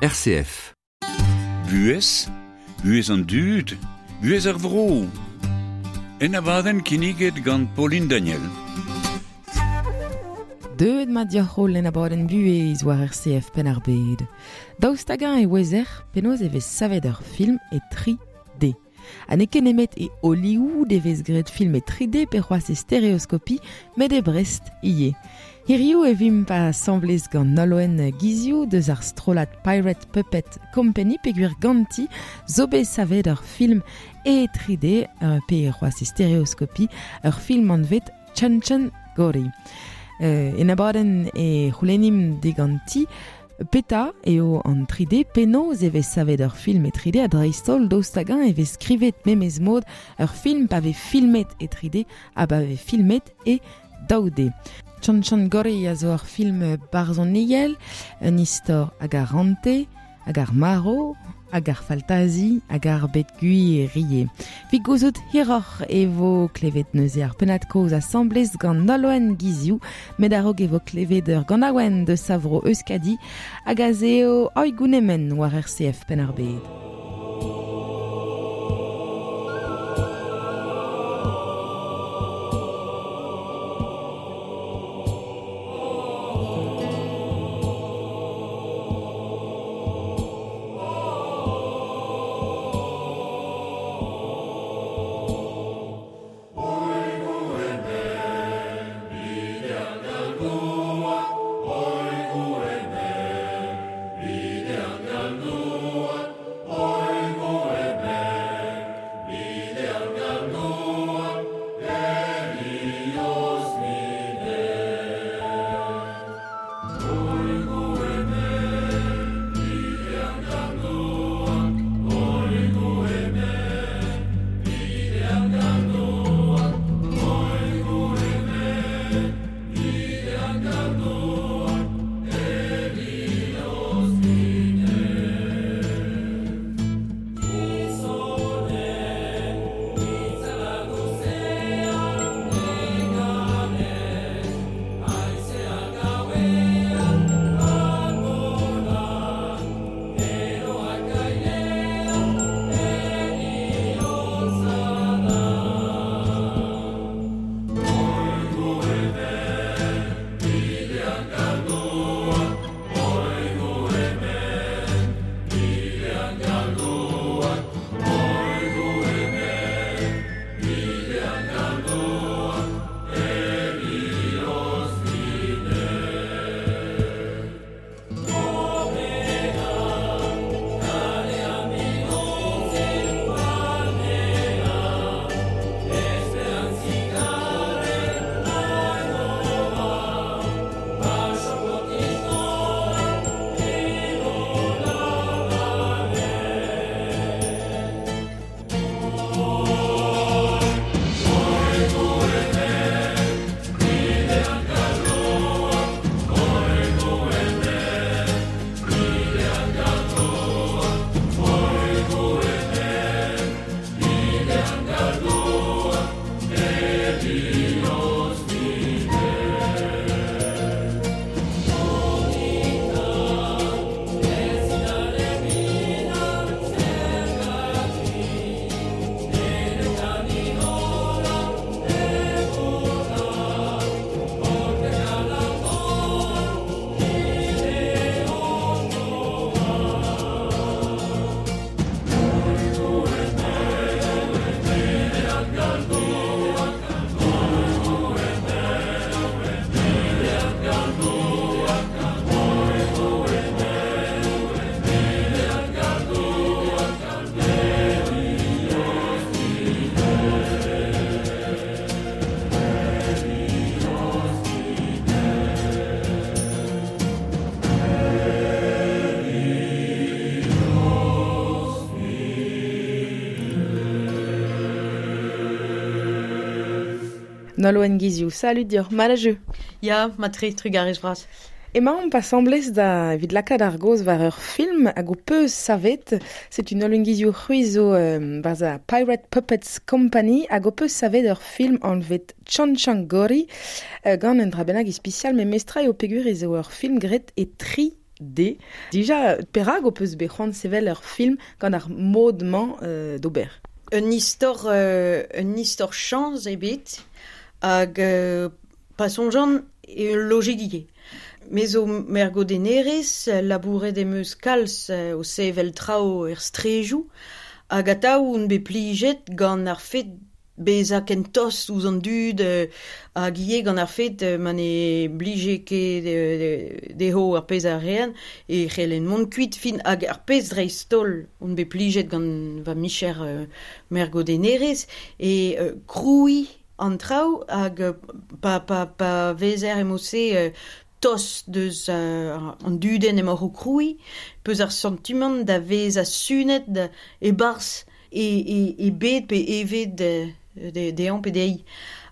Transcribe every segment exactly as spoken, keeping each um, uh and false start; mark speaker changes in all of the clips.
Speaker 1: R C F.
Speaker 2: Buhez, buhez an dud, buhez ar vro. En abadenn kinniget gant Pauline Daniel.
Speaker 3: Deuet ma dioc'h en abadenn buhez war R C F Penn-ar-Bed. Daoust hag-eñ e ouezer penaos e vez savet ur film e tri D. Ha n'eo ket nemet e Hollywood e vez graet film e tri D pe c'hoazh e stéréoscopie, met e Brest ivez. Hiriv e vimp asambles gant Nolwenn Guizioù deus ar strollad Pirate Puppet Company peogwir ganti zo bet savet ur film e tri D pe c'hoazh e stéréoscopie, ur film anvet Chan Chan Gori. Euh, en abadenn e c'houlennim diganti peta eo an tri D penaos e vez savet ur film e tri D a dreist-holl daoust hag-eñ e vez skrivet memes mod ur film pa vez filmet e tri D ha pa vez filmet e daou D. Chan Chan Gori a zo ur film barzhoniel, un istor hag ar rante, hag ar maro, hag ar faltazi, hag ar bet gwir rie. Vit gouzout hiroc'h e vo klevet neuze ar pennad-kozh asambles gant Nolwenn Guizioù, met a-raok e vo klevet ur ganaouenn de Savro Euskadi hag a zeo Oigounemen war R C F Penn-ar-Bed. Nolwenn Guizioù, salut dioc'h, mat a jeu.
Speaker 4: Ya, ma tre, trugarez bras.
Speaker 3: Emaomp asambles da evit lakaat ar gaoz war ur film hag ho peus savet. Setu Nolwenn Guizioù c'hwi zo, euh, barzh ar Pirate Puppets Company hag ho peus savet ur film anvet Chan Chan Gori, euh, gant un dra bennak ispisial, met mestra eo peogwir ez eo ur film graet e tri D. Dija, perag o peus bet c'hoant sevel ur film gant ar mod-mañ euh, d'ober?
Speaker 4: Un istor, euh, un istor chañs ebet hag euh, pa soñjan e ul lojegiye. Me zo mergodennerez, labouret em eus kalz euh, o sevel traoù er strejoù, hag atav on bet plijet gant ar fet bezañ ken tost ouzh an dud euh, hag ivez gant ar fet euh, ma ne blije ket euh, dezho ar pezh a rean e c'hellen mont kuit fin hag ar pezh dreist-holl on bet plijet gant va micher euh, mergodennerez e euh, krouiñ an traoù hag euh, pa, pa, pa vezer emo-se euh, tost deus euh, an dudenn emaoc'h o krouiñ, peus ar santimant da vezañ sunet e-barzh e, e, e bed pe evet euh, de, dezhañ pe dezhi.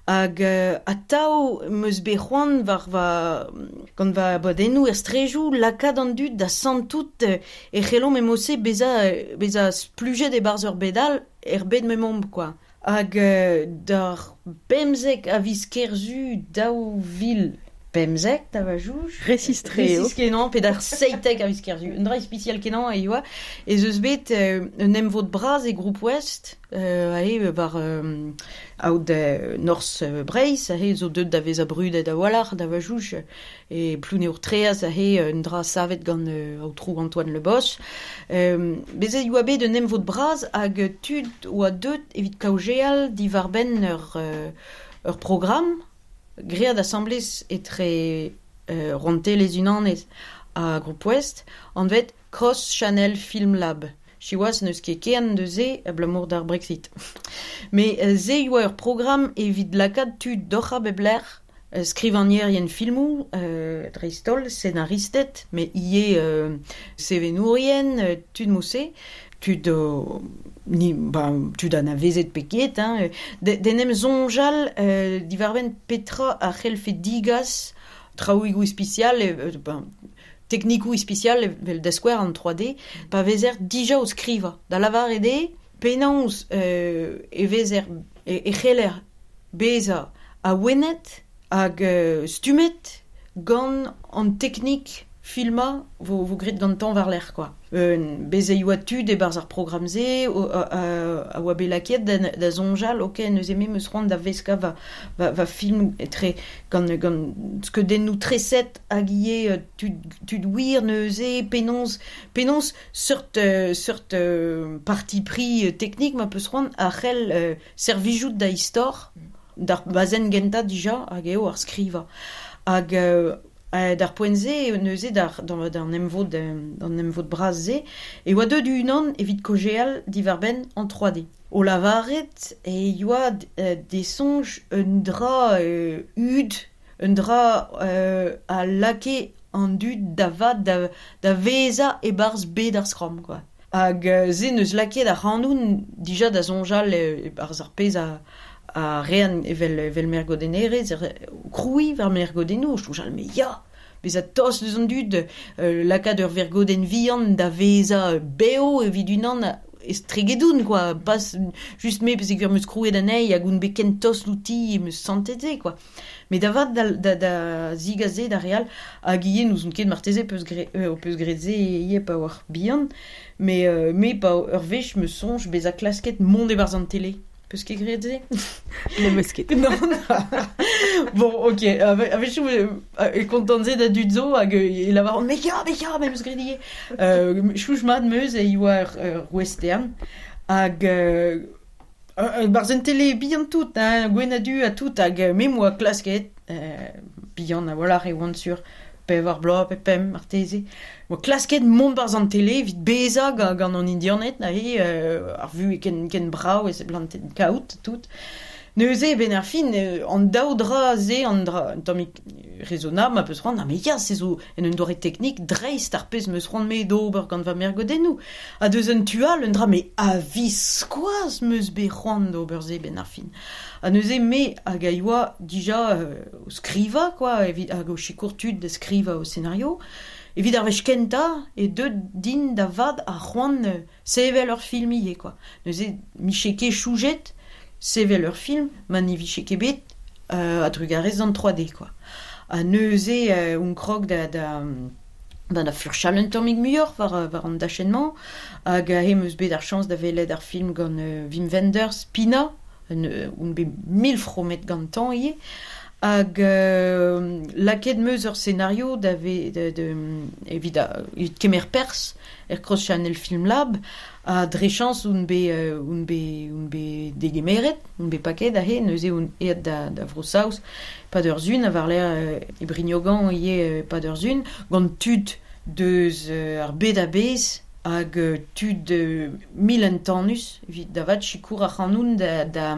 Speaker 4: Hag euh, atav 'm eus bet c'hoant war va, gant va abadennoù er strejoù lakaat an dud da santout euh, e c'hellomp emo-se bezañ, bezañ splujet e-barzh ur bed all er bed m'emaomp, quoi. Hag euh, d'ar pemzek a viz Kerzu daou vil pemzek da va jouj.
Speaker 3: Resistre eo.
Speaker 4: Resis kenañ, pe d'ar seitek a viz Kerzu. Un dra ispisial kenañ e oa. Ez eus bet euh, un emvod bras e Groupe Ouest, euh, ae war euh, aod euh, Norzh euh, Breizh, ae zo deut da vezañ brudet a-walc'h da va jouj, e Plouneour-Traezh ae un dra savet gant euh, aotrou Antoine Le Bos. Euh, bezet e oa bet un emvod bras hag tud oa deut evit kaozeal diwar-benn ur, euh, ur programm graet asambles etre euh, Rouantelezh Unanet ha Groupe Ouest, anvet Cross Channel Film Lab. Siwazh n'eus ket ken deus-se abalamour d'ar Brexit. Mais euh, se oa ur programm evit lakaat tud doc'h a bep lec'h, euh, skrivagnerien filmoù, euh, dreist-holl, senaristed, met ivez euh, sevenourien, euh, tud mod-se, tud o, ni, ba, tud anavezet pe ket, hein, de, d'en em soñjal euh, diwar-benn petra a c'hellfe digas traoùigoù ispisial, euh, ben, teknikoù ispisial evel da skouer an trois D, pa vezer dija o skrivañ. Da lavaret eo, penaos euh, e vezer e, e c'heller bezañ awenet hag euh, stummet gant an teknik filmañ vo, vo graet gantañ war-lerc'h, quoi. Euh, bez' e oa tud e-barzh ar programm-se o, a, a, a oa bet lakaet da, da soñjal, ok, neuze me 'm eus c'hoant da veskañ va, va, va film etre gant, gant skeudennoù treset hag ivez tud, tud wir neuze, penaos, penaos seurt, euh, seurt euh, parti pris teknik ma peus c'hoant a c'hell euh, servijout da istor, d'ar bazenn gentañ dija hag eo ar skrivañ. Hag euh, Euh, d'ar poent-se, neuze d'ar, d'an, d'an emvod, d'an emvod bras-se, e oa deut unan evit kaozeal diwar-benn an trois D. O lavaret e oa euh, de soñj un dra euh, hud, un dra euh, a lake an dud da vat da, da vezañ e-barzh bed ar skramm, quoi. Hag euh, se neus lakaet ar c'hanoun dija da soñjal e-barzh ar pezh a a rean evel, evel mergodennerez, er, krouiñ war mergodennoù, soñjal me ya, bezañ tost deus an dud, euh, lakaat ur vergodenn vihan da vezañ bev evit unan estregedoun, quoi, pas just me peogwir 'm eus krouet anezhi hag on bet ken tost outi em eus santet se, quoi. Mais da vat da, da, da zigas se da re all, hag ivez n'ouzon ket marteze peus gre, euh, peus graet se ivez pa oar bihan, mais, euh, me pa ur wech 'm eus soñj bezañ klasket mont e-barzh an tele. Peus ket graet se?
Speaker 3: Ne meus ket.
Speaker 4: Non. Bon, ok. A-wechoù e kontant se da dud zo hag e lavaront, mais ya, mais ya, me meus graet ivez. Euh, chouch mat meus e oa ur, ur western. Hag euh, barzh un tele bihan tout, hein, gwenn ha du ha tout, hag me 'm boa klasket, euh, bihan a-walc'h e oan sur pevar bloaz pe pemp marteze. Moa klasket mont barzh an tele evit bezañ gant, gant an Indianed, aze, euh, ar vu ken, ken brav e seblantet kaout tout. Neuze, ben ar fin, euh, an daou dra se, an dra, un tammig raisonnable, ma peus c'hoant, ah, mais ya, se zo en un doare teknik dreist ar pezh 'm eus c'hoant me d'ober gant va mergodennoù. Ha deus un tu all, un dra, me a-viskoazh 'm eus bet c'hoant d'ober se ben ar fin. Ha neuze me hag a yoa dija euh, o skrivañ, quoi, evit hag o sikour tud da skrivañ o scenario. Evit ar wech kentañ e deut din da vat ar c'hoant euh, sevel ur film ivez, quoi. Neuze 'mije ket choujet sevel ur film ma ne vije ket bet euh, a-drugarez d'an trois D, quoi. Ha neuze euh, on krog da, da, Ben da furchal un tammig muioc'h war, war an dachenn-mañ, hag aze 'm eus bet ar chañs da welet ar film gant euh, Wim Wenders, Pina, un, un bet mil fromet gantañ ivez, hag euh, lakaet 'm eus ur scenario da ve, de, de, evit, a, evit kemer perzh er Cross Channel Film Lab, ha dre chañs on bet, euh, on bet, on bet degemeret, on bet paket aze, neuze on aet da, da Vro-Saoz, pad ur sun, a war-lerc'h euh, e Brignogan ivez euh, pad ur sun, gant tud deus euh, ar bed a-bezh hag euh, tud euh, mil entanus, evit da vat sikour ar c'hanoun da, da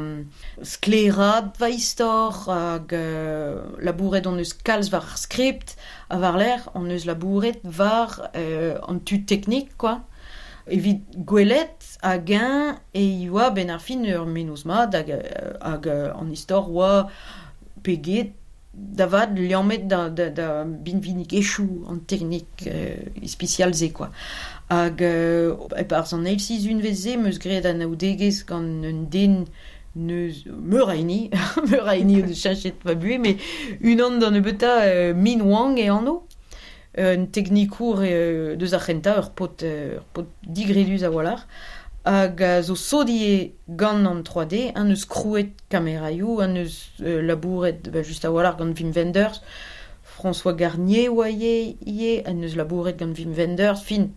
Speaker 4: sklaeraat va istor hag euh, labouret on eus kalz war ar skript, ha war-lerc'h on eus labouret war euh, an tud teknik, quoi. Evit gwelet hag-eñ e oa ben ar fin ur mennozh mat hag, hag an istor oa peget da vat liammet da, da, da binvinigezhioù an teknik euh, ispisial se, quoi. Hag euh, e-barzh an eil sizhunvezh se 'm eus graet anaoudegezh gant un den neus meur a hini, meur a hini o deus cheñchet va buhez, met unan d'an nebeutañ euh, Min Wang e anv, un teknikour euh, deus ar c'hentañ, ur paotr, ur paotr digredus a-walc'h, hag a zo sot ivez gant an trois D, an eus krouet kameraioù, an eus euh, labouret ba, just a-walc'h gant Wim Wenders, François Garnier oa ivez, ivez, an eus labouret gant Wim Wenders, fin,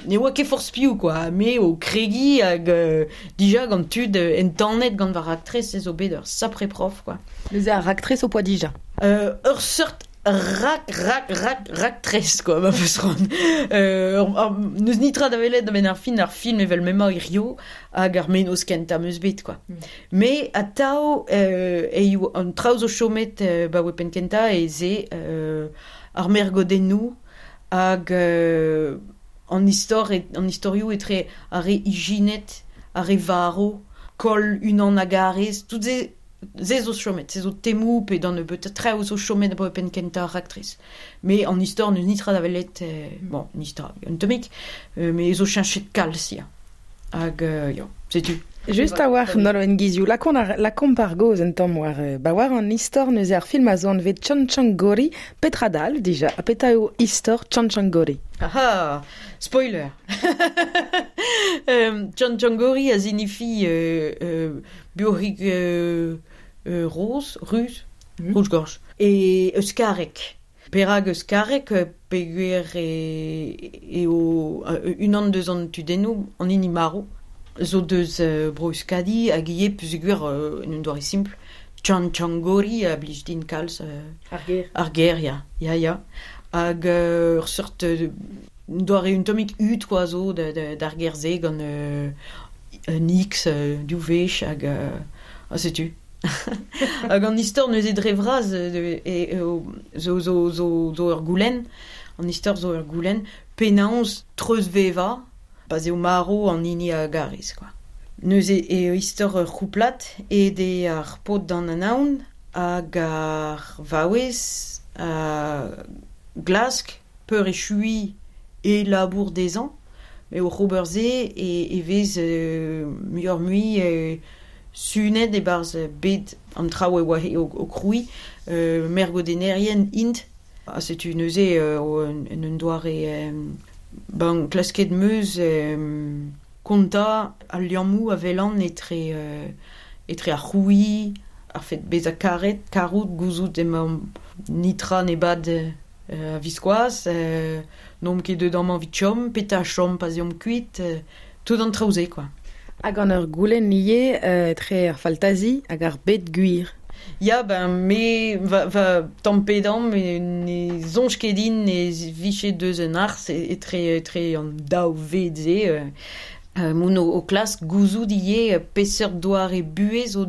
Speaker 4: ne oa ket forzh piv, quoi, me o kregiñ hag euh, dija gant tud euh, entanet gant va raktres ez zo bet ur sapre prof, quoi.
Speaker 3: Neuze ar raktres o poa dija.
Speaker 4: Euh, ur seurt rak, rak, rak, raktres, quoi, ma feus c'hoant. Euh, ur, ur, n'eus nitra da welet a-benn ar fin ar film evel m'emañ hirio hag ar mennozh kentañ 'm eus bet, quoi.
Speaker 3: Mm.
Speaker 4: Me atav euh, eo an traoù zo chomet euh, ba oa penn kentañ ez eo euh, ar mergodennoù hag euh, an istor et, an istorioù etre ar re ijinet, ar re varv, koll unan hag arrez, tout se se zo chomet, se zo temoù pe d'an nebeutañ traoù zo chomet abaoe penn kentañ ar raktres. Me an istor n'eus nitra da welet, euh, bon, nitra, un tammig, euh, me zo cheñchet kalz, ya. Hag, euh, ya, setu.
Speaker 3: Just a-walc'h Nolwenn Guizioù, lakaomp ar, lakaomp ar gaoz un tamm war, euh, ba war an istor neuze ar film a zo anvet Chanchangori, petra dal dija, ha petra eo istor Chanchangori?
Speaker 4: Aha, spoiler. euh, Chanchangori a signifie euh, euh, buoc'hig euh, euh, roz, ruz,
Speaker 3: Mm.
Speaker 4: rouge-gorge. E euskarek. Perak euskarek, euh, peogwir e, eo euh, unan deus an tudennoù, an hini marv, zo deus euh, bro Euskadi hag ivez peogwir euh, en un doare simpl, Chanchangori a blij din kalz euh,
Speaker 3: Ar ger.
Speaker 4: Ar ger, ya, ya, ya. Hag euh, ur seurt euh, doare un tammig hud, quoi, zo da, da, d'ar ger-se gant euh, un X euh, div wech hag euh, ha setu. Hag an istor neuze dre vras euh, e, e, zo, zo, zo, zo ur goulenn, an istor zo ur goulenn, penaos treuzvevañ, pa 'z eo marv an hini a garez, quoi. Neuze eo istor ur c'houplad aet eo ar paotr d'an anaon hag ar vaouez a glask peurechuiñ e labour dezhañ, met oc'h ober se e, e vez euh, muioc'h-mui euh, sunet e-barzh bed an traoù e oa o, o krouiñ, euh, mergodennerien int. Ha setu neuze euh, o, en, en un doare euh, ben, klasket 'm eus euh, kontañ al liammoù a welan etre, euh, etre ar c'hrouiñ, ar fet bezañ karet, karout, gouzout emañ nitra ne bad euh, a-viskoazh, euh, n'omp ket deut amañ evit chom, petra chom pa 'z eomp kuit, euh, tout an traoù-se, quoi.
Speaker 3: Hag an ur goulenn ivez euh, etre ar faltazi hag ar bed gwir.
Speaker 4: Ya, ben, me va, va tamm pe damm, me ne soñj ket din ne vije deus un arz etre, etre an daou ved-se. Euh, euh, moun o, o klask gouzout ivez peseurt doare buhez o,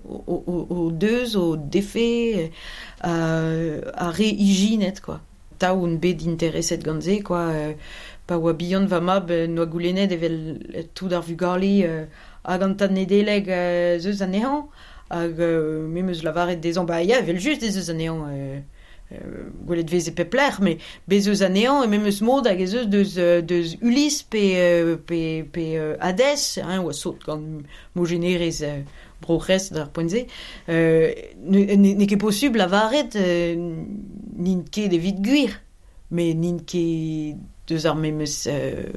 Speaker 4: o, o, o deus, o defe, euh, ar re ijinet, quoi. Tav on bet intereset gant se, quoi. Euh, pa oa bihan va mab, euh, n'oa goulennet evel tout ar vugale euh, hag an tad Nedeleg euh, zeus anezhañ, hag euh, me 'm eus lavaret dezhañ, ba ya, evel just ez eus anezhañ, euh, euh, gwelet vez e pep lec'h, met bez eus anezhañ e memes mod hag ez eus deus, euh, deus Ulysse pe, euh, pe, pe euh, Hadès, hein, oa sot gant mojennerezh euh, Bro-C'hres d'ar poent-se, euh, ne, ne, n'eo ket posubl lavaret euh, n'int ket evit gwir. Me n'int ket deus ar memes euh,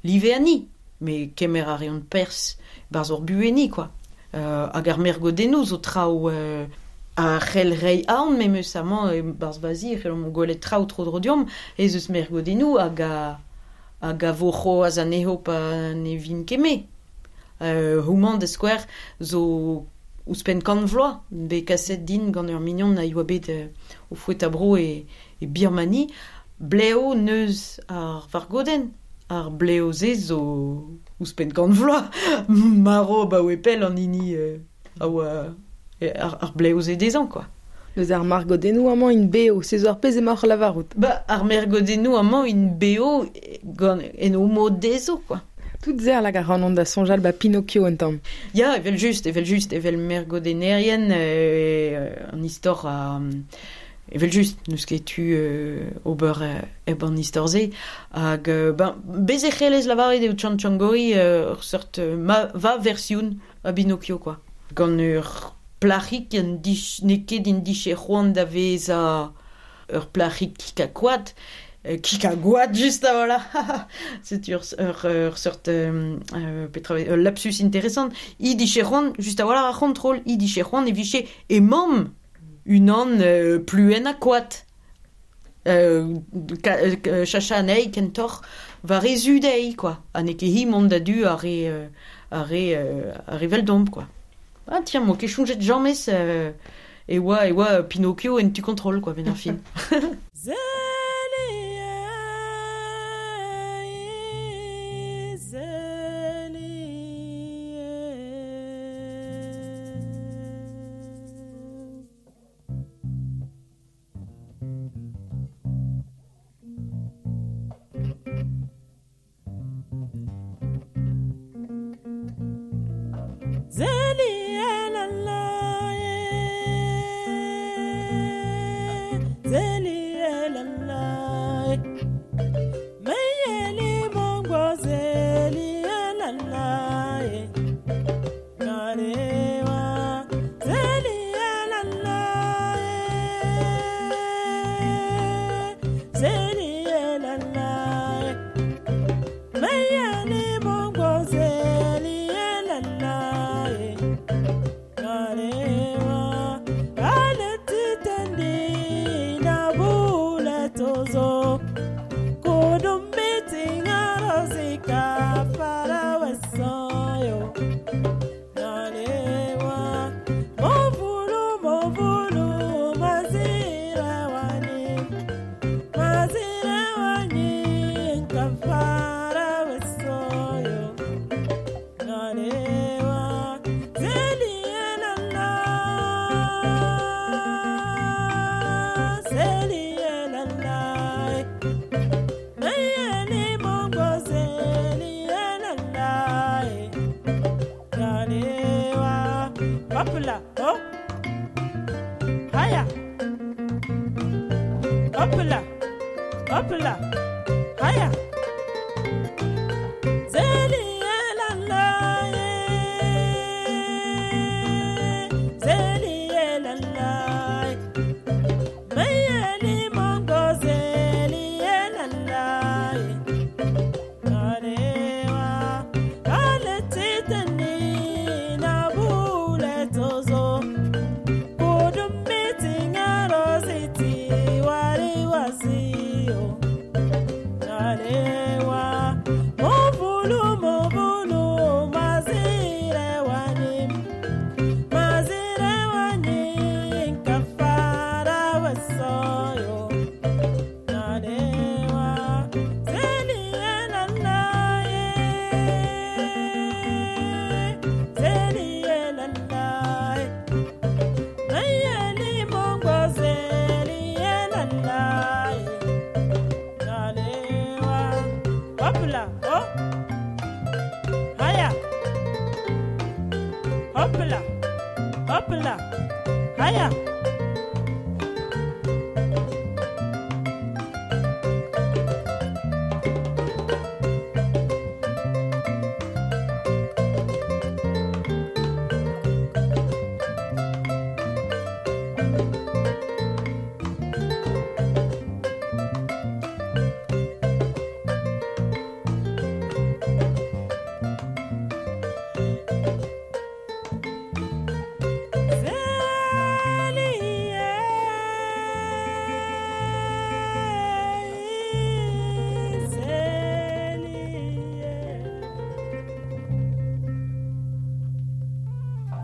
Speaker 4: live ani, me kemer a reont pers barz ur bueni, quoi. Euh, hag ar mergodennoù zo traoù euh, a c'hell rei aon memes amañ e barz vazi c'hellomp gwelet traoù tro dro deomp ez eus mergodennoù hag a hag a vo c'hoazh anezho pa ne vin ket me. Euh, houmañ da skouer zo ouzhpenn kant vloaz bet kaset din gant ur mignon a yoa bet euh, o fouet a bro e, e Birmani bleo neus ar vargodenn. Ar bleo se zo ouzhpenn kant vloaz maro ba oe pell an hini euh, a oa ar, ar bleo se dezhañ quoi.
Speaker 3: Neus ar margodennoù amañ in beo, se zo ar pezh emaoc'h lavarout.
Speaker 4: Ba ar mergodennoù amañ in beo gant en o mod dezho quoi.
Speaker 3: Tout zer lag a ranont da soñjal ba Pinocchio un tamm.
Speaker 4: Ya, evel just, evel just, evel mergodennerien euh, an istor a... Evel just, n'eus ket tu euh, ober euh, eb an istor se. Hag, euh, ben, bez e c'hellez lavaret eo Tchantchangori euh, ur seurt euh, ma, va version a Pinocchio, quoi. Gant ur plac'hig an dich, n'eo ket in diche c'hoant da vezañ ur plac'hig kikakoad, euh, kikagoad just a voilà. C'est ur, ur, ur seurt euh, euh, petra, ur lapsus intéressant. I diche c'hoant, just a voilà ar c'hontrol, i diche c'hoant e vije e mamm unan euh, pluen a koad. Euh, ka, euh, chacha anezhi kentoc'h war e zu dezhi, quoi. Ha n'eo ket hi mont da du ar re, euh, ar re, euh, ar re veldom, quoi. Ah tiens, moi ket soñjet james euh, e oa, e oa Pinocchio en tu contrôle, quoi, ben ar fin.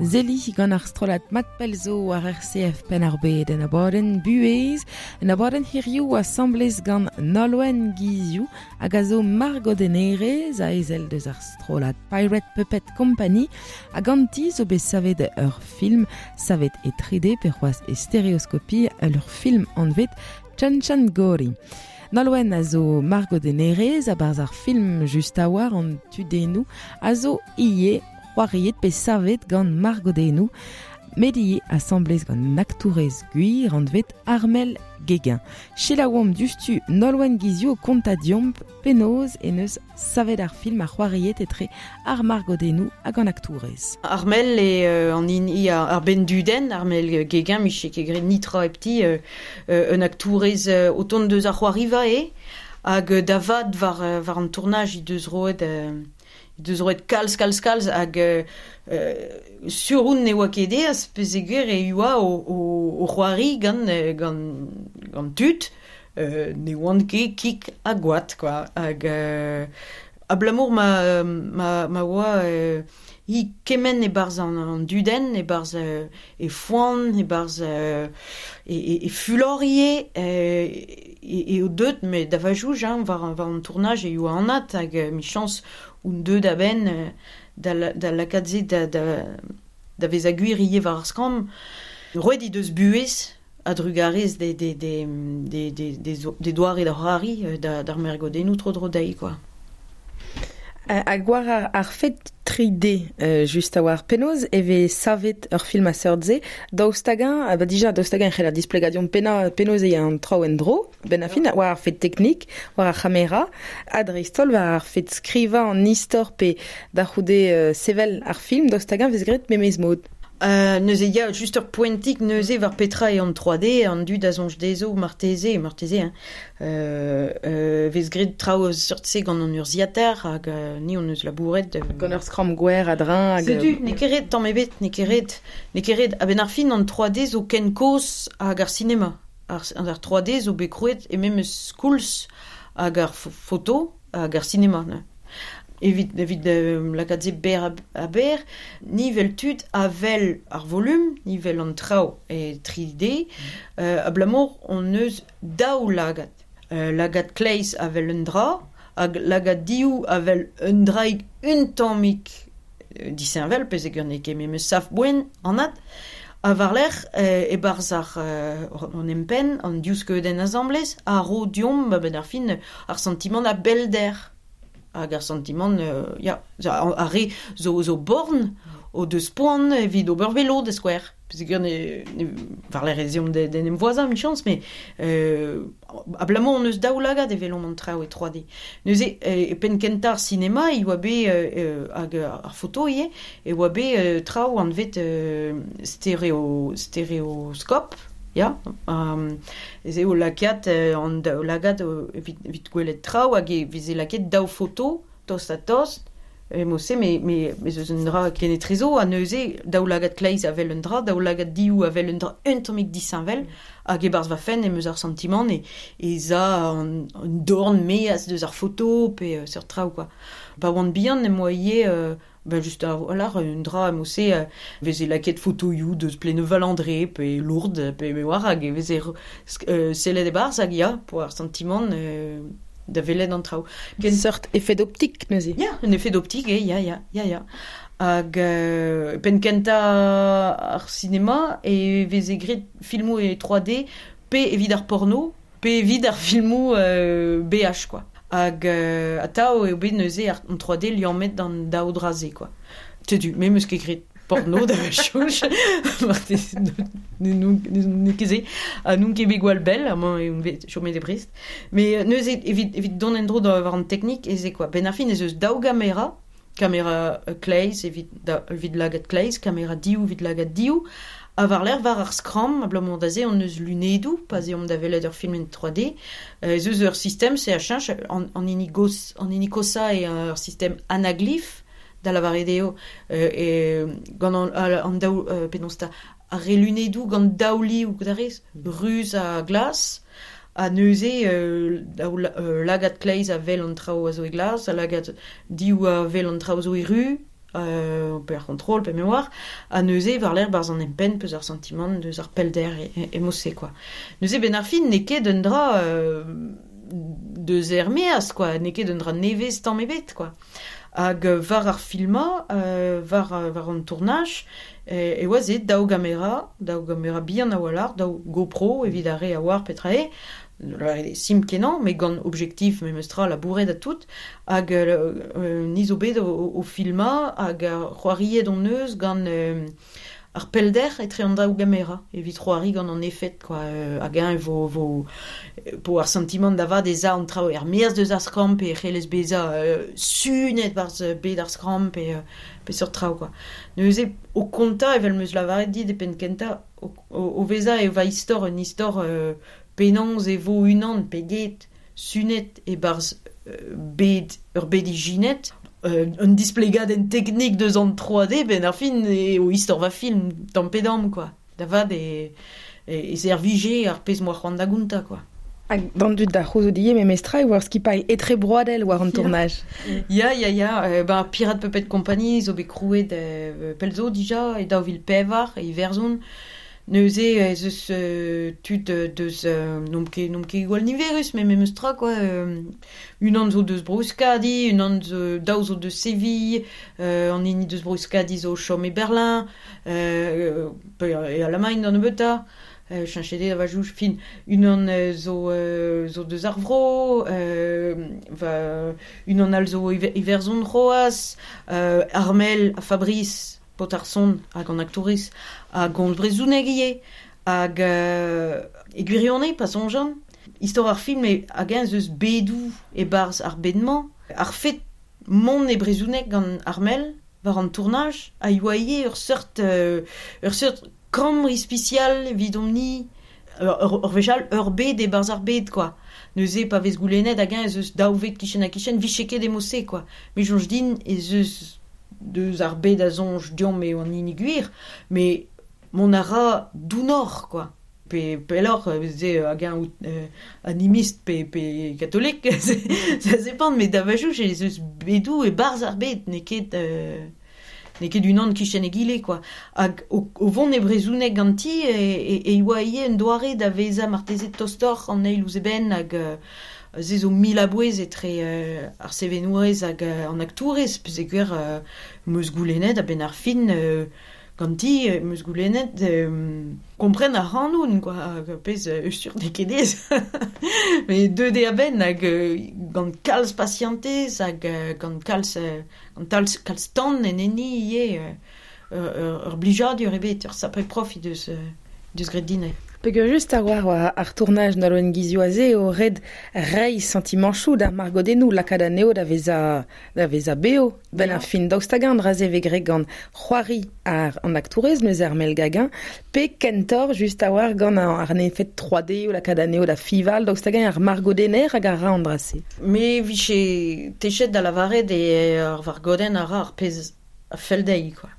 Speaker 3: Zeli gant ar strollad mat pelzo ar R C F Penn-ar-Bed en abadenn buhez, en abadenn hiriv asamblez gant Nolwenn Guizioù hag a zo margodennerez a ezel deus ar strollad Pirate Puppet Company hag ganti zo bet savet ur film savet e trois D pe c'hoazh e stéréoscopie ur film anvet Chan Chan Gori. Nolwenn a zo margodennerez a-barzh ar film just a war an tudennoù a zo ivez c'hoariet pe savet gant margodennoù, met ivez asamblez gant aktourez gwir anvet Armel Guéguen. Selaouomp diouzhtu Nolwenn Guizioù o kontañ deomp penaos en eus savet ar film ar c'hoariet etre ar margodennoù hag an aktourez.
Speaker 4: Armel e euh, an hini ar benn-dudenn, Armel Guéguen, miche ket graet nitra hepti, euh, euh, un aktourez euh, o tont deus ar c'hoariva eo, hag da vat war, war an tournaj he deus roet... Euh, deus roet kalz, kalz, kalz, hag euh, sur oun ne oa ket eas, pezeger e oa o, o, o c'hoari gant, gant, gant tud, euh, ne oant ket kik ha gwad, quoi. Hag euh, abalamour ma, ma, ma oa euh, hi kement e-barzh an, an dudenn, e-barzh euh, e foan, e-barzh euh, e, e, e fulor ivez, euh, e, e o deut, met da vajouj, hein, war, war an tournaj e oa anat, hag euh, michañs un deut da benn da, da lakaat se da, da, da vezañ gwir ivez war ar skramm. Roet he deus buhez a-drugarez de, de, de, de, de, de, de doare da c'hoari da, d'ar margodennoù tro-dro dezhi, quoi.
Speaker 3: Hag war ar, ar fet trois D, euh, just a war penaos e vez savet ur film a seurt-se, daoust hag-eñ, ah ba dija daoust hag-eñ e c'heller displegañ deomp pena, penaos eo an traoù en-dro, ben a fin, war ar fet teknik, war ar c'hamera, ha dreist-holl war ar fet skrivañ an istor pe da c'houde euh, sevel ar film, daoust hag-eñ vez graet memes mod.
Speaker 4: Euh, neuze ya, just ur poentik neuze war petra eo an trois D, an dud a soñj dezho marteze, marteze, hein. Euh, euh, vez graet traoù seurt-se gant an urzhiataer hag euh, ni hon eus labouret. Euh,
Speaker 3: gant ur skramm gwer a-dreñv hag...
Speaker 4: Setu, n'eo ket ret tamm ebet, n'eo ket ret, n'eo ket ret. A-benn ar fin an trois D zo ken kozh hag ar sinema. Ar, ar trois D zo bet krouet e memes koulz hag ar foto hag ar sinema. Ne. Evit, evit euh, lakaat se ber a ber, nivel tud a vel ar volume, nivel an traoù e trois D, mm. euh, abalamour on eus daou lagad. Euh, lagad kleiz a vel un dra, hag lagad diou a vel un draig un tammig euh, disheñvel, pezegur n'eo ket memes sav-boen anat, a war-lerc'h euh, e-barzh ar euh, an empenn, an div skeudenn asamblez, a ro deomp a-benn ar fin ar santimant a bellder. Hag ar santimant, euh, ya, ar re zo, zo born o deus poan evit ober velo da skouer. Pezegur ne, ne war-lerc'h ez eomp d'en em voazañ, michañs, met euh, abalamour hon eus daou lagad e welomp an traoù e trois D. Neuze, e penn kentañ ar sinema, e oa bet, euh, hag ar foto ivez, e oa bet euh, traoù anvet euh, stéréo, stéréoscope, ya, um, ez eo lakaat euh, an daou lagad evit, evit gwelet traoù hag e veze lakaet daou foto, tost ha tost, e mo-se, me, me, me eus un dra kenetrezo, ha neuze daou lagad kleiz a vel un dra, daou lagad diou a vel un dra un tammig disheñvel, hag e-barzh va fenn em eus ar santimant e, e za an, an dorn meaz deus ar foto pe euh, seurt traoù, quoi. Pa oan bihan em boa ivez euh, ben just a voilà, un dra mo-se euh, veze lakaet fotoioù deus Pléneuf-Val-André pe Lourdes pe me oar hag e veze euh, sellet e-barzh hag ya, po ar santimant euh, da welet an traoù.
Speaker 3: Ken seurt effet d'optique neuze.
Speaker 4: Ya, un effet d'optique, eh, ya, ya, ya, ya. Hag euh, penn kentañ ar sinema e veze graet filmoù e trois D pe evit ar porno, pe evit ar filmoù euh, B H, quoi. Hag euh, atav eo bet neuze ar an trois D liammet d'an daou dra-se, quoi. Setu, me 'm eus ket graet porno da chouch, marteze n'eo ket se, ha n'on ket bet gwall bell, amañ eo bet chomet e Brest. Mais neuze evit, evit dont en-dro da war an teknik ez eo, quoi. Ben ar fin ez eus daou gamera, kamera kleiz evit, da, evit lagad kleiz, kamera diou evit lagad diou, ha war-lerc'h war ar skramm, abalamour da se hon eus lunedoù, pa 'z eomp da welet ur film en trois D, ez eus ur sistem, se a cheñch, an, an hini gos, an hini kosañ eo ur sistem anaglyph, da lavaret eo, euh, e, gant an, an daou, euh, penaos 'ta, ar re lunedoù gant daou liv, da rez, ruz ha glas, ha neuze euh, daou euh, lagad kleiz a wel an traoù a zo e glas, ha lagad diou a wel an traoù a zo e ru, euh, pe ar c'hontrol, pe me oar, ha neuze war lerc'h barzh an empenn peus ar santimant deus ar pellder e, e, e mod-se, quoi. Neuze ben ar fin n'eo ket un dra euh, deus er-maez, quoi, n'eo ket un dra nevez tamm ebet, quoi. Hag war ar filmañ, euh, war, war an tournaj, e, e oa se daou gamera, daou gamera bihan a-walc'h, daou GoPro evit ar re a oar petra eo, simpl kenañ, met gant objektif memestra labouret ha tout, hag euh, ni zo bet o, o filmañ hag c'hoariet hon eus gant euh, ar pellder etre an daou gamera, evit c'hoari gant an efed, quoi, euh, hag eñ vo, vo, po ar santimant da vat ez a an traoù er-maez deus ar skramm pe c'hellez bezañ euh, sunet barzh bed ar skramm pe, euh, pe seurt traoù, quoi. Neuze o kontañ evel 'm eus lavaret dit e penn kentañ, o, o, o vezañ e va istor un istor euh, penaos e vo unan pe get sunet e-barzh euh, bed ur bed ijinet, euh, un displegadenn teknik deus an trois D, ben ar fin e o istor va film tamm pe damm, quoi. Da vat e, e, e servije ar pezh 'moa c'hoant da gontañ, quoi.
Speaker 3: Hag d'an dud da c'houzout ivez memestra e oa ur skipailh etrebroadel war an
Speaker 4: Ya.
Speaker 3: tournaj.
Speaker 4: Ya, ya, ya. Euh, ben, Pirate Puppet Company zo bet krouet euh, pell zo dija, e daou vil pevar, e Iwerzhon. Neuze ez eus euh, tud deus euh, n'omp ket, n'omp ket gwall niverus, met memes tra, quoi. Euh, unan zo deus Bro-Euskadi, unan zo, daou zo deus Séville, euh, an hini deus Bro-Euskadi zo o chom e Berlin, euh, pe e Alamagn d'an nebeutañ, euh, cheñchet eo da va jouj, fin, unan zo, euh, zo deus ar vro, euh, va, unan all zo Iwerzhon c'hoazh, euh, Armel ha Fabrice, paotr ar son hag an aktourez, hag gomz brezhoneg ivez, hag euh, e gwirionez, pa soñjan, istor ar film e hag eñ eus bedoù e-barzh ar bed-mañ, ar fet mont e brezhoneg gant Armel war an tournaj, a yoa ivez ur seurt, euh, ur seurt kambr ispisial evidomp-ni, ur, ur, ur wech all ur bed e-barzh ar bed, quoi. Neuze pa vez goulennet hag eñ ez eus daou ved kichen-ha-kichen, vije ket e mod-se, quoi. Me soñj din ez eus deus ar bed a soñj deomp eo an hini gwir, met mont a ra dounoc'h, quoi. Pe pelloc'h, se hag eñ out euh, animiste pe, pe katolik, ça dépend, met da va jouj ez eus bedoù e-barzh ar bed, n'eo ket, euh, n'eo ket unan kichen egile, quoi. Hag o, o vont e brezhoneg ganti, e, e, e oa ivez un doare da vezañ marteze tostoc'h an eil ouzh eben, hag euh, se zo mil a-bouez etre euh, ar sevenourez hag euh, an aktourez, peogwir euh, 'm eus goulennet a-benn ar fin euh, ganti, 'm eus goulennet euh, kompren ar c'hanoun, quoi, hag pezh euh, sur n'eo ket aes. Met deuet eo a-benn hag euh, gant kalz pasientez hag euh, gant kalz, euh, gant kalz, kalz tan en enni ivez, euh, ur, ur, ur blijadur ebet, ur sapre prof he deus, euh, deus graet din.
Speaker 3: Peogwir just a oar war ar tournaj n'aloen gizioù aze o red reiñ santimanchoù d'ar margodennoù lakaat anezho da vezañ, da vezañ beo. Ben
Speaker 4: Ya.
Speaker 3: ar fin daoust hag an dra-se vez graet gant c'hoari ar an aktourez neuze Armel Gagin, pe kentoc'h just a oar gant ar, ar efed trois D o lakaat anezho da fival, daoust hag ar margodenner hag ar ra an dra-se.
Speaker 4: Me vije techet da lavaret e ar vargodenn a ra ar pezh a fell dezhi, quoi.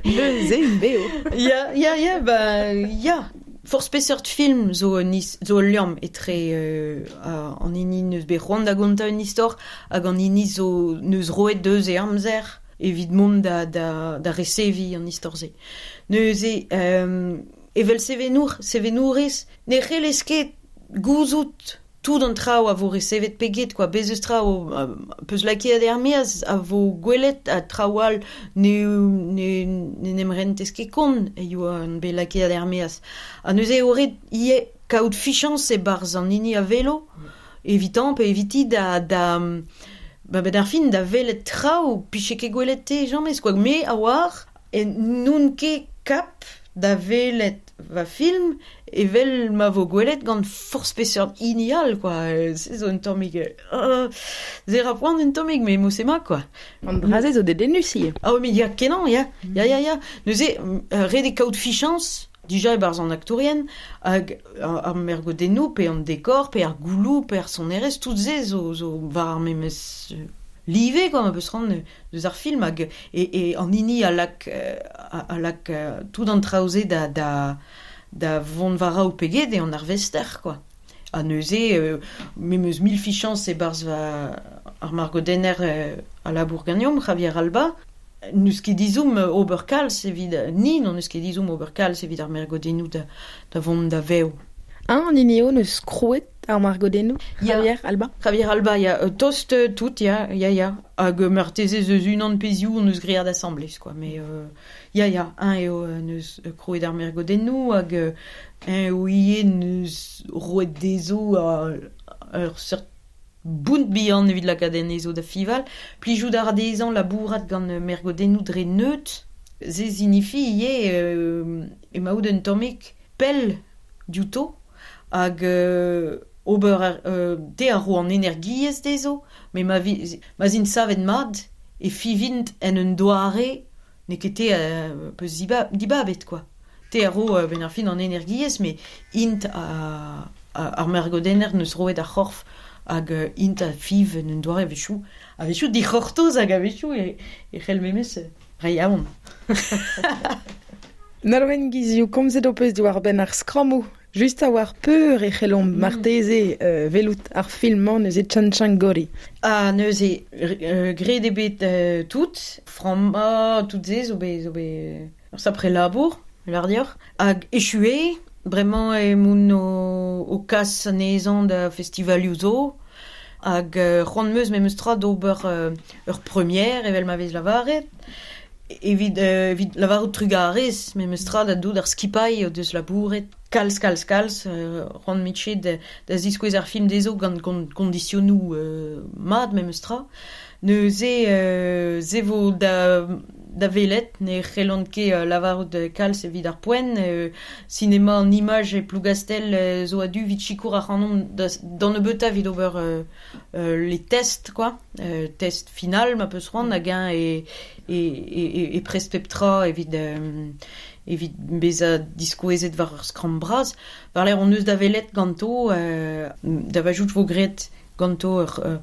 Speaker 3: Neuze int beo.
Speaker 4: Ya, ya, ya, ba, ya. Forzh peseurt film zo un is, zo ul liamm etre euh, an hini neus bet c'hoant da gontañ un istor hag an hini zo neus roet deus e amzer evit mont da, da, da reseviñ an istor-se. Neuze, euh, evel sevenour, sevenourez, ne c'hellez ket gouzout tout an traoù a vo resevet pe get, quoi. Bez eus traoù, euh, peus lakaet er-maez a vo gwelet ha traoù all ne, ne, ne n'em rentez ket kont e yoa an bet lakaet er-maez. Ha neuze eo ret ivez kaout fichañs e-barzh an hini a velo, evitan pe eviti da, da, ba, ben ar fin da welet traoù, piche ket gwelet te jamez, quoi. Me a oar, e n'on ket kap da welet va film evel ma vo gwelet gant forzh peseurt hini all, quoi. Se zo un tammig, euh, se ra poan un tammig, met mod-se ma, quoi.
Speaker 3: An dra-se zo dedennus ivez.
Speaker 4: Ah oui, mais ya kenañ, ya. Ya, ya, ya. Neuze, euh, ret eo kaout fichañs, dija e-barzh an aktourien, hag ar, ar mergodennoù, pe an dekor, pe ar gouloù, pe ar sonerezh, tout se zo, zo war ar memes live, quoi, ma peus c'hoant deus ar film, hag e, e an hini a lak, euh, a, a lak, euh, tout an traoù-se da, da, da vont war raok pe get eo an arvester, quoi. Ha neuze, euh, me 'm eus mil fichañs e-barzh va ar margodenner euh, a labour ganeomp, Javier Alba. N'eus ket dizoum ober kalz evit ni, non eus ket dizoum ober kalz evit ar margodennoù da, da vont da vev.
Speaker 3: Un an eo neus krouet ar margodennoù, Javier Alba?
Speaker 4: Javier Alba, ya, tost tout, ya, ya, ya. Hag marteze eus unan pezioù on eus great asamblez, quoi. Mais euh, ya, ya, un eo neus krouet ar margodennoù, hag un eo ivez neus roet dezo a ur seurt bount bihan evit lakaat anezho da fival. Plijout ar dezhañ labourat gant mergodennoù dre neut. Se zinifi ivez euh, emaout un tammig pell diouto hag euh, ober euh, te a ro an energiezh dezho, met ma, vi, ma zint savet mat e fivint en un doare n'eo ket te euh, peus diba, dibabet, quoi. Te a ro euh, ben ar fin an energiezh, met int a, a, ar mergodenner neus roet ar c'horf hag uh, int a fiv en un doare a-wechoù. A-wechoù dic'hortoz hag a-wechoù e, e c'hell memes reiñ aon.
Speaker 3: Nolwenn Guizioù, komzet ho peus diwar benn ar skrammoù. Just a war peur e c'hellomp mm. marteze euh, velout ar film-mañ neuze Tchan-Tchangori.
Speaker 4: Ah, neuze, euh, graet eo bet euh, tout, frammañ tout se zo bet, zo bet ur sapre labour, lar deoc'h. Hag echu bremañ emaon o, o kas anezhañ da festivalioù zo, hag euh, c'hoant 'm eus memes tra d'ober euh, ur première evel ma vez lavaret, evit, euh, evit lavarout trugarez memes tra da dout ar skipailh o deus labouret, kalz, kalz, kalz, euh, c'hoant mitche da, da ziskouez ar film dezho gant kondisionoù euh, mat memes tra. Neuze euh, se vo da, da velet, ne c'hellont ket euh, lavarout kalz evit ar poent, euh, cinéma an image e Plougastel euh, zo a-du evit sikour ac'hanomp da, d'an nebeutañ evit ober euh, euh, les tests, quoi, euh, test final ma peus c'hoant hag eñ e, e, e, e prest pep tra evit, euh, evit bezañ diskouezet war ur skramm bras. War lec'h on eus da velet ganto, euh, da vajout vo graet ganto ur, euh,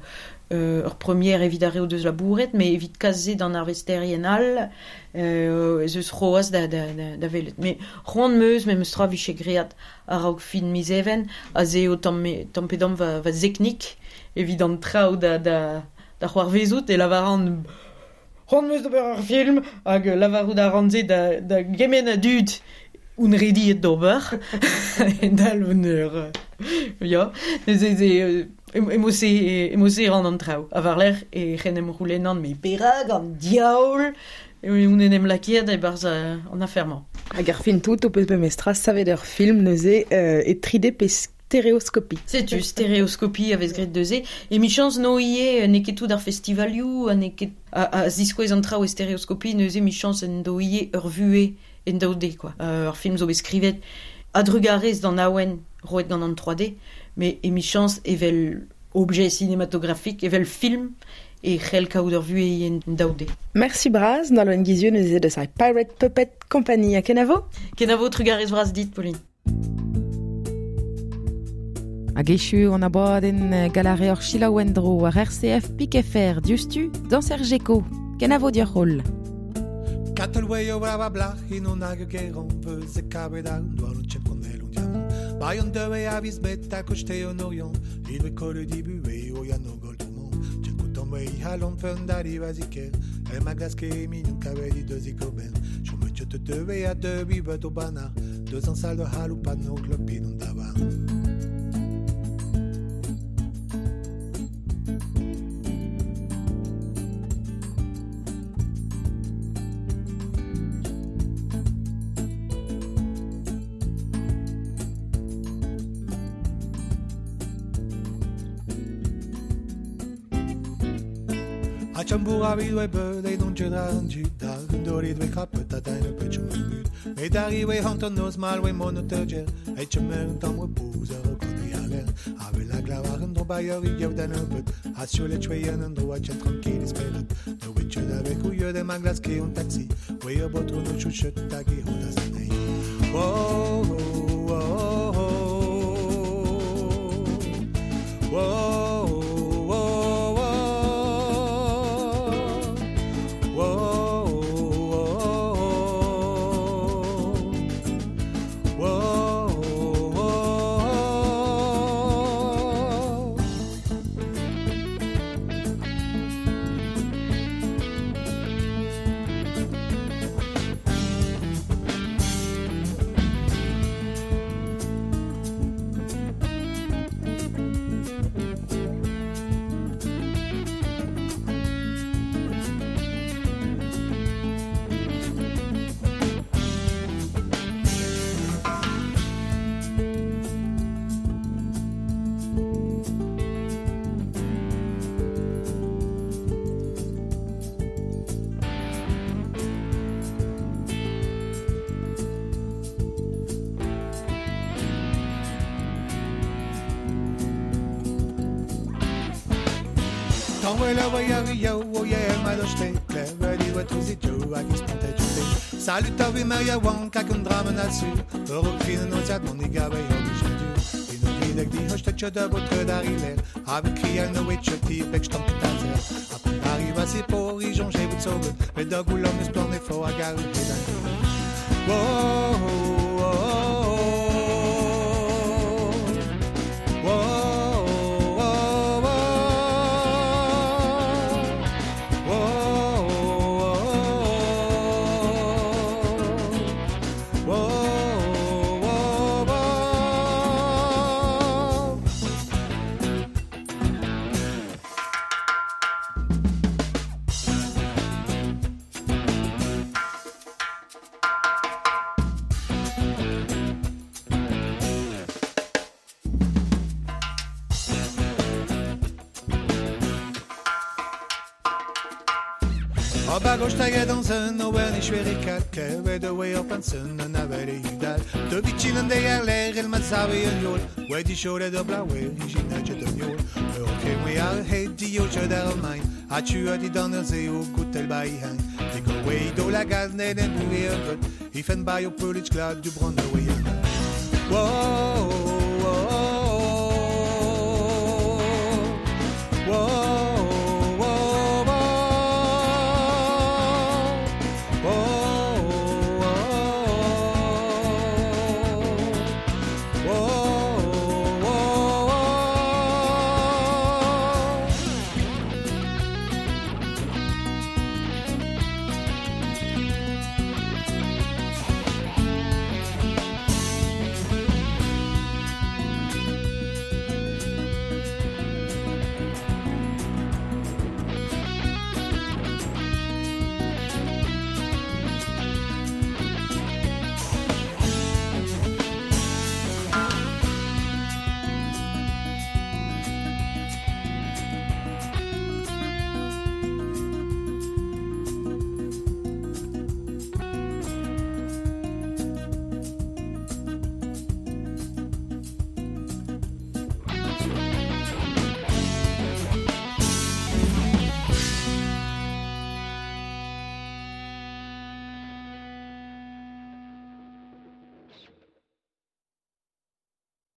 Speaker 4: ur première evit ar re o deus labouret, mais evit kas-se d'an arvesterien all, euh, ez eus c'hoazh da, da, da, da velet. Mais c'hoant 'm eus, memes tra vije graet a-raok fin miz Even, aze eo tamm, tamm pe damm va, va zeknik evit an traoù da, da, da c'hoarvezout e lavaran c'hoant 'm eus d'ober ur film hag lavarout a ran se da, da gement a dud on rediet d'ober. Dal un eur. Ya, neuze ze emo-se emo-se ran an traoù. A war-lerc'h e c'hen em roulennan me perak an diaoul on en em lakaet e-barzh an afer-mañ.
Speaker 3: Hag ar fin tout o peus memes tra savet ur film neuze euh, e tri D pe stéréoscopie.
Speaker 4: Setu, stéréoscopie a vez graet neuze. E michañs no ivez n'eo ket tout ar festivalioù, ha n'eo ket a, a ziskouez an traoù e stéréoscopie, neuze michañs en do ivez ur vuhez en daou D, quoi. Euh, ur film zo bet skrivet a-drugarez d'an awen roet gant an trois D, mais emichañs evel objet cinématographique, evel film, e c'hell kaout ur vuhez en daou D.
Speaker 3: Merci bras, Nolwenn Guizioù neuze deus ar Pirate Puppet Company. Ha kenavo?
Speaker 4: Kenavo, trugarez bras dit, Pauline.
Speaker 3: Hag echu an abadenn galare ur selaou en-dro war R C F P K F R diouzhtu dañs er Geko. Kenavo dioc'h holl.
Speaker 1: Katalway o brava blach in on hag geron veus e kabed an doar o tchep konel on diamant. Bayon dewe a viz bet a kochte on orion, ilwe kole dibu e o yan o gol domon. Tchep koutan we i halon fun dari vaziker, e ma glaske e mignon kabed i deux ikoben. Chome tchot te tewe a deux bibet o bana, deux an sal de haloupan o klopin on daban. Chambour a vid oe beud e don ket an dud da gundori dwe krapet a dain ur pet chom mud. Me dari oe hanter noz mal oe mon o teurgel e chom un tamm repoz ur kote a l'air. A vel a glav ar un dro bailleur i yev dan ur beud a sur le chweyen un dro a chen tranquille esperet. No oe tcheu da vek ou yeud em a glaske un taxi oe ur botro no chouchet hag e hot a zanei. Oh, oh, oh, oh. Oh, oh, oh. Salut a vi Maria Wank hag un dramen a su Ur o krinen o zad mon e gabe ur bijadu In o ridek di hoste da botre da riler A vet krial no et choti bek stamp tazer A pon arriva se por i jonge vout soget Met da goulom eus plan e fo a gal Whoa, whoa, Wedi siwr o blawe, i sinna jet yn iol. Ur cemwe ar het di o chod ar main, a tu a di dan ur ze o goutel ba i hein. Di go we do la gaz ned en boué ur got, i fen ba o pelich glad du bron o we Whoa,